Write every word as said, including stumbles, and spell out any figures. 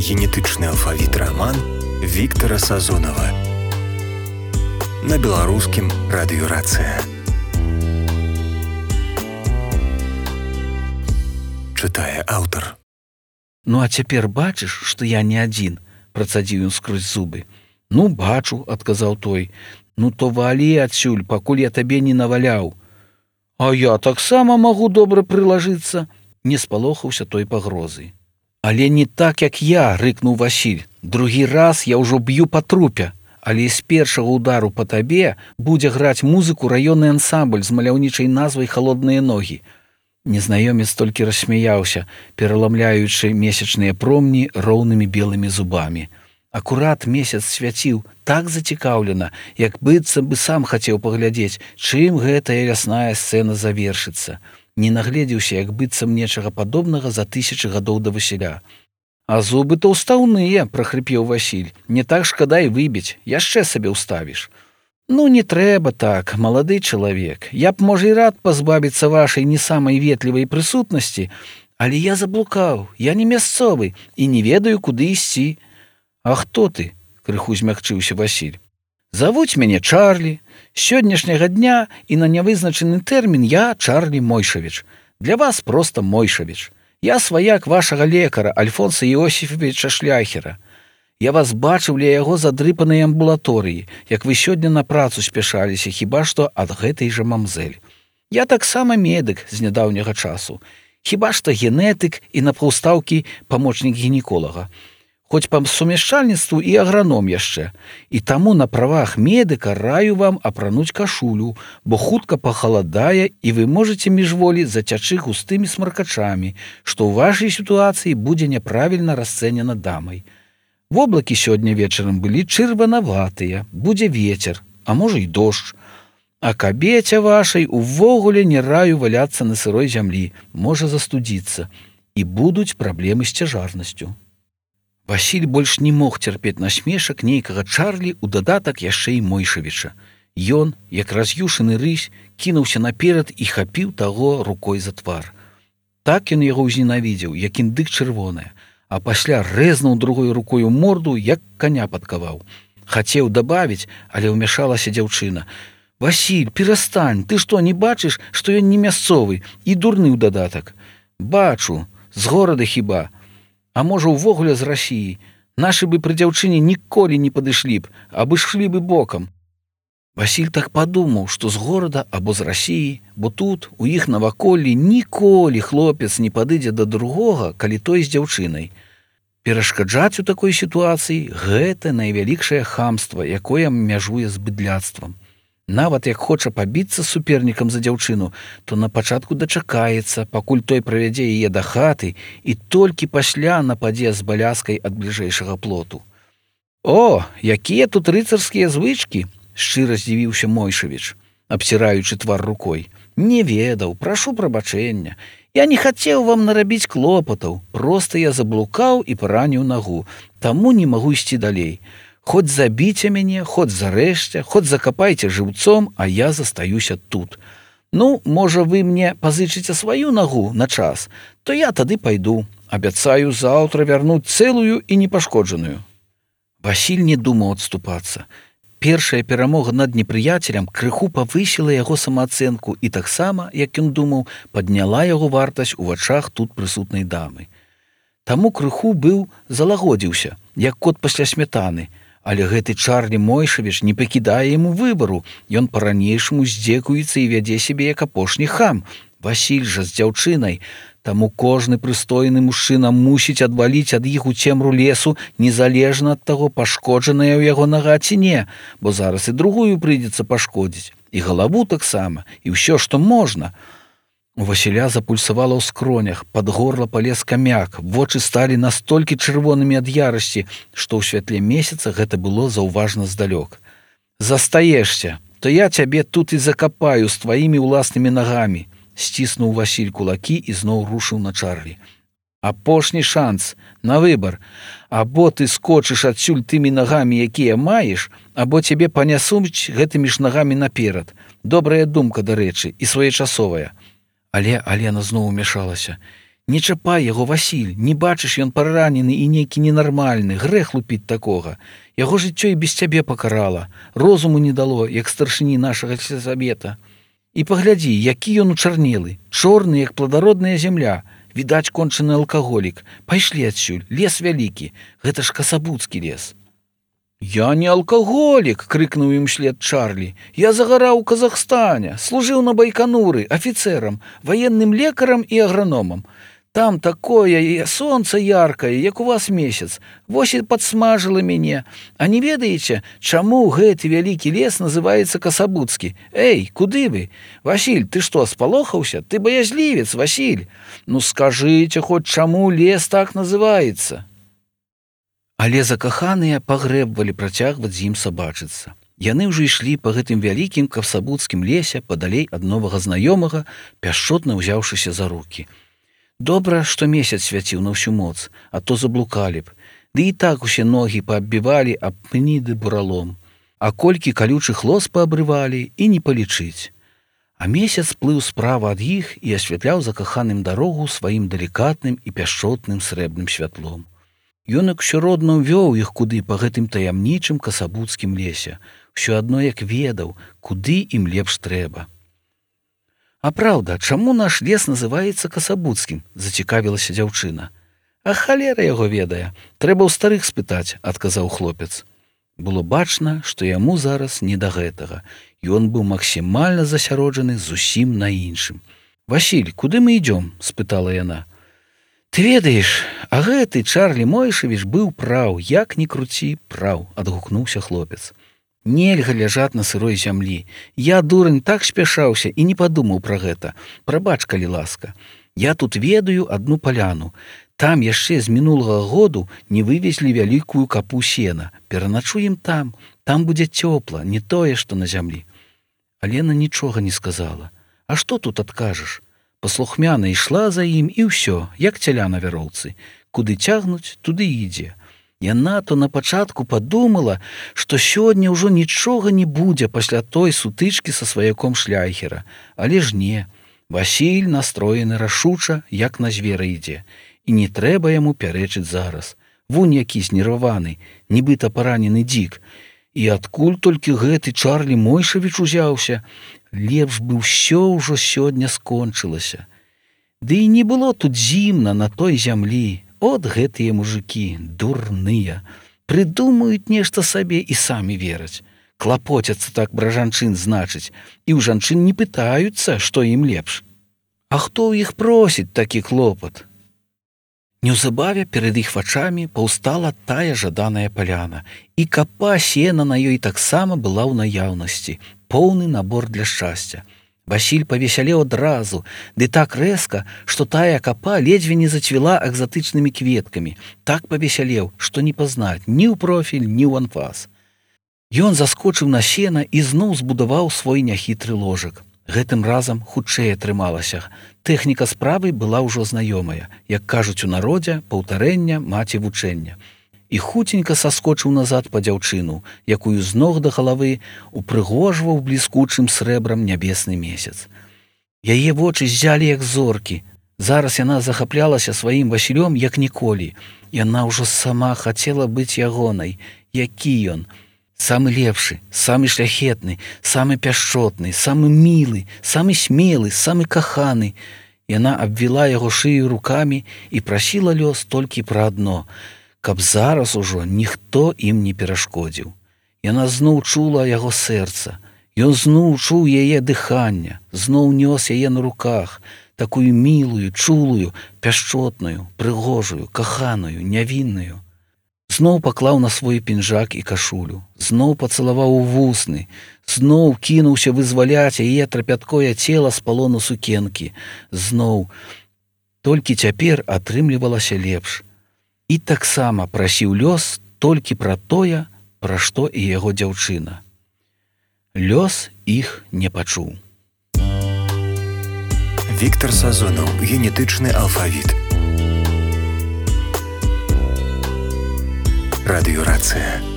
Генетычны алфавіт раман Віктара Сазонава на беларускім радыёрацыя. Чытае аўтар. Ну а цяпер бачыш, што я не адзін, працадзіў ён скрозь зубы. Ну, бачу, адказаў той. Ну то валі адсюль, пакуль я табе не наваляў. А я таксама магу добра прылажыцца, не спалохаўся той пагрозы. Але не так, як я, рыкнуў Васіль. Другі раз я ўжо б'ю па трупе, але з першага удару па табе будзе граць музыку раённы ансамбль з маляўнічай назвай «Халодныя ногі». Незнаёмец толькі рассмяяўся, пераламляючы месячныя промні роўнымі белымі зубамі. Акурат месяц свяціў так зацікаўлена, як быццам бы сам хацеў паглядзець, чым гэтая лясная сцэна завершыцца. Не нагледзеўся, як быццам нечага падобнага за тысячы гадоў да Васіля. А зубы то ўстаўныя, прахрыпеў Васіль. Не так шкада і выбіць, яшчэ сабе ўставіш. Ну, не трэба так, малады чалавек. Я б, можа, і рад пазбавіцца вашай не самай ветлівай прысутнасці, але я заблукаў, я не мясцовы і не ведаю, куды ісці. А хто ты? Крыху змякчыўся Васіль. Завуць мяне Чарлі. З сённяшняга дня і на нявызначаны тэрмін я Чарлі Мойшавіч. Для вас проста Мойшавіч. Я сваяк вашага лекара Альфонса Іосіфавіча Шляхера. Я вас бачыў ля яго задрыпанай амбулаторыі, як вы сёння на працу спяшаліся, хіба што ад гэтай жа мамзэль. Я таксама медык з нядаўняга часу. Хіба што генетык і на паўстаўкі памочнік гінеколага. Хоць па сумяшчальніцтву і аграном яшчэ. І таму на правах медыка раю вам апрануць кашулю, бо хутка пахаладае і вы можаце міжволі зацячы густымі смаркачамі, што ў вашай сітуацыі будзе няправільна расцэнена дамай. Воблакі сёння вечарам былі чырванаватыя, будзе вецер, а можа і дождж. А кабеце вашай увогуле не раю валяцца на сырой зямлі, можа застудзіцца, і будуць праблемы з цяжарнасцю. Васіль больш не мог цярпець насмешак нейкага Чарлі ў дадатак яшчэ і Мойшавіча. Ён, як раз'юшаны рысь, кінуўся наперад і хапіў таго рукой за твар. Так ён яго ўзненавідзеў, як індык чырвоная, а пасля рэзнуў другой рукой у морду, як каня падкаваў. Хацеў дабавіць, але ўмяшалася дзяўчына. «Васіль, перастань, ты што, не бачыш, што ён не мясцовы і дурны ў дадатак?» «Бачу, з горада хіба. А можа, увогуле з Расіі. Нашы бы пры дзяўчыне ніколі не падышлі б, абы шлі бы бокам». Васіль так падумаў, што з горада або з Расіі, бо тут, у іх наваколлі, ніколі хлопец не падыдзе да другога, калі той з дзяўчынай. Перашкаджаць у такой сітуацыі – гэта найвялікшае хамства, якое мяжуе з быдляцтвам. Нават як хоча пабіцца з супернікам за дзяўчыну, то на пачатку дачакаецца, пакуль той правядзе яе да хаты і толькі пасля нападзе з баляскай ад бліжэйшага плоту. «О, якія тут рыцарскія звычкі!» – шчыра здзівіўся Мойшавіч, абціраючы твар рукой. «Не ведаў, прашу прабачэння. Я не хацеў вам нарабіць клопатаў, проста я заблукаў і параніў нагу, таму не магу ісці далей. Хоць забіце мяне, хоць зарэжце, хоць закапайце жыўцом, а я застаюся тут. Ну, можа, вы мне пазычыце сваю нагу на час, то я тады пайду. Абяцаю заўтра вярнуць цэлую і непашкоджаную». Васіль не думаў адступацца. Першая перамога над непрыяцелем крыху павысіла яго самаацэнку і таксама, як ён думаў, падняла яго вартасць у вачах тут прысутнай дамы. Таму крыху быў залагодзіўся, як кот пасля смятаны. Але гэты Чарлі Мойшавіч не пакідае яму выбару. Ён па-ранейшаму здзекуецца і вядзе сябе як апошні хам. Васіль жа з дзяўчынай. Таму кожны прыстойны мужчына мусіць адваліць ад іх у цемру лесу, незалежна ад таго, пашкоджаная ў яго нага ці не, бо зараз і другую прыйдзецца пашкодзіць, і галаву таксама, і ўсё, што можна. У Васіля запульсавала ў скронях, пад горла палез камяк, вочы сталі настолькі чырвонымі ад ярасці, што ў святле месяца гэта было заўважна здалёк. «Застаешся, то я цябе тут і закапаю з тваімі ўласнымі нагамі», сціснуў Васіль кулакі і зноў рушыў на Чарлі. «Апошні шанс, на выбар. Або ты скочыш адсюль тымі нагамі, якія маеш, або цябе панясуць гэтымі ж нагамі наперад. Добрая думка, дарэчы, і своечасовая». Але Алена зноў умяшалася. Не чапай яго, Васіль, не бачыш, ён паранены і нейкі ненармальны, грэх лупіць такога. Яго жыццё і без цябе пакарала, розуму не дало, як старшыні нашага сельсавета. І паглядзі, які ён учарнелы, чорны, як плодародная зямля, відаць, кончаны алкаголік. Пайшлі адсюль, лес вялікі, гэта ж касабуцкі лес. «Я не алкаголік!» — крыкнуў ім след Чарлі. «Я загараў у Казахстане, служыў на Байкануры, афіцэрам, ваенным лекарам і аграномам. Там такое сонца яркае, як у вас месяц. Вось і падсмажыла мяне. А не ведаеце, чаму гэты вялікі лес называецца Касабуцкі? Эй, куды вы? Васіль, ты што, спалохаўся? Ты баязлівец, Васіль. Ну скажыце хоць, чаму лес так называецца?» Але закаханыя пагрэбвалі працягваць з ім сабачыцца. Яны ўжо ішлі па гэтым вялікім касабуцкім лесе падалей ад новага знаёмага, пяшчотна ўзяўшыся за рукі. Добра, што месяц свяціў на ўсю моц, а то заблукалі б. Ды і так усе ногі пааббівалі аб пні ды буралом. А колькі калючых лос паабрывалі, і не палічыць. А месяц плыў справа ад іх і асвятляў закаханым дарогу сваім далікатным і пяшчотным срэбным святлом. Ён як усё родна ўвёў іх куды па гэтым таямнічым касабуцкім лесе, усё адно як ведаў, куды ім лепш трэба. «А праўда, чаму наш лес называецца Касабуцкім?» — зацікавілася дзяўчына. «А халера яго ведае, трэба ў старых спытаць», — адказаў хлопец. Было бачна, што яму зараз не да гэтага. Ён быў максімальна засяроджаны зусім на іншым. «Васіль, куды мы ідём?» — спытала яна. «Ты ведаеш, а гэты Чарлі Мойшавіч быў праў, як ні круці, праў», — адгукнуўся хлопец. «Нельга ляжаць на сырой зямлі. Я, дурань, так спяшаўся і не падумаў пра гэта. Прабач, калі ласка. Я тут ведаю адну паляну. Там яшчэ з мінулага году не вывезлі вялікую капу сена. Пераначуем там. Там будзе цёпла, не тое, што на зямлі». Алена нічога не сказала. «А што тут адкажаш?» Паслухмяна ішла за ім, і ўсё, як цяля на вяроўцы. Куды цягнуць, туды ідзе. Яна то на пачатку падумала, што сёння ўжо нічога не будзе пасля той сутычкі са сваяком шляйхера. Але ж не. Васіль настроены рашуча, як на звера ідзе. І не трэба яму пярэчыць зараз. Вунь які знерваваны, нібыта паранены дзік. І адкуль толькі гэты Чарлі Мойшавіч узяўся? Лепш бы ўсё ўжо сёння скончылася. Ды і не было тут зімна на той зямлі. От гэтыя мужыкі, дурныя. Прыдумаюць нешта сабе і самі вераць. Клапоцяцца так пра жанчын, значыць, і ў жанчын не пытаюцца, што ім лепш. А хто ў іх просіць такі клопат? Неўзабаве перад іх вачамі паўстала тая жаданая паляна, і капа сена на ёй таксама была ў наяўнасці, поўны набор для шчасця. Васіль павесялеў адразу, ды так рэзка, што тая капа ледзьве не зацвіла экзатычнымі кветкамі. Так павесялеў, што не пазнаць ні ў профіль, ні ў анфас. Ён заскочыў на сена і зноў збудаваў свой няхітры ложак. Гэтым разам хутчэй атрымалася. Тэхніка справы была ўжо знаёмая, як кажуць у народзе, паўтарэння маці вучэння. І хуценька саскочыў назад па дзяўчыну, якую з ног да галавы упрыгожваў бліскучым срэбрам нябесны месяц. Яе вочы ззялі як зоркі. Зараз яна захаплялася сваім Васілём як ніколі. Яна ўжо сама хацела быць ягонай. Які ён? Самы лепшы, самы шляхетны, самы пяшчотны, самы мілы, самы смелы, самы каханы. Яна абвіла яго шыю рукамі і прасіла лёс толькі пра адно, каб зараз ужо ніхто ім не перашкодзіў. Яна зноў чула яго сэрца. Ён зноў чуў яе дыхання, зноў нёс яе на руках, такую мілую, чулую, пяшчотную, прыгожую, каханую, нявінную. Зноў паклаў на свой пінжак і кашулю, зноў пацалаваў у вусны, зноў кінуўся вызваляць яе трапяткое цела з палону сукенкі, зноў. Толькі цяпер атрымлівалася лепш. І таксама прасіў лёс толькі пра тое, пра што і яго дзяўчына. Лёс іх не пачуў. Віктар Сазонаў, генетычны алфавіт. Радыёрацыя.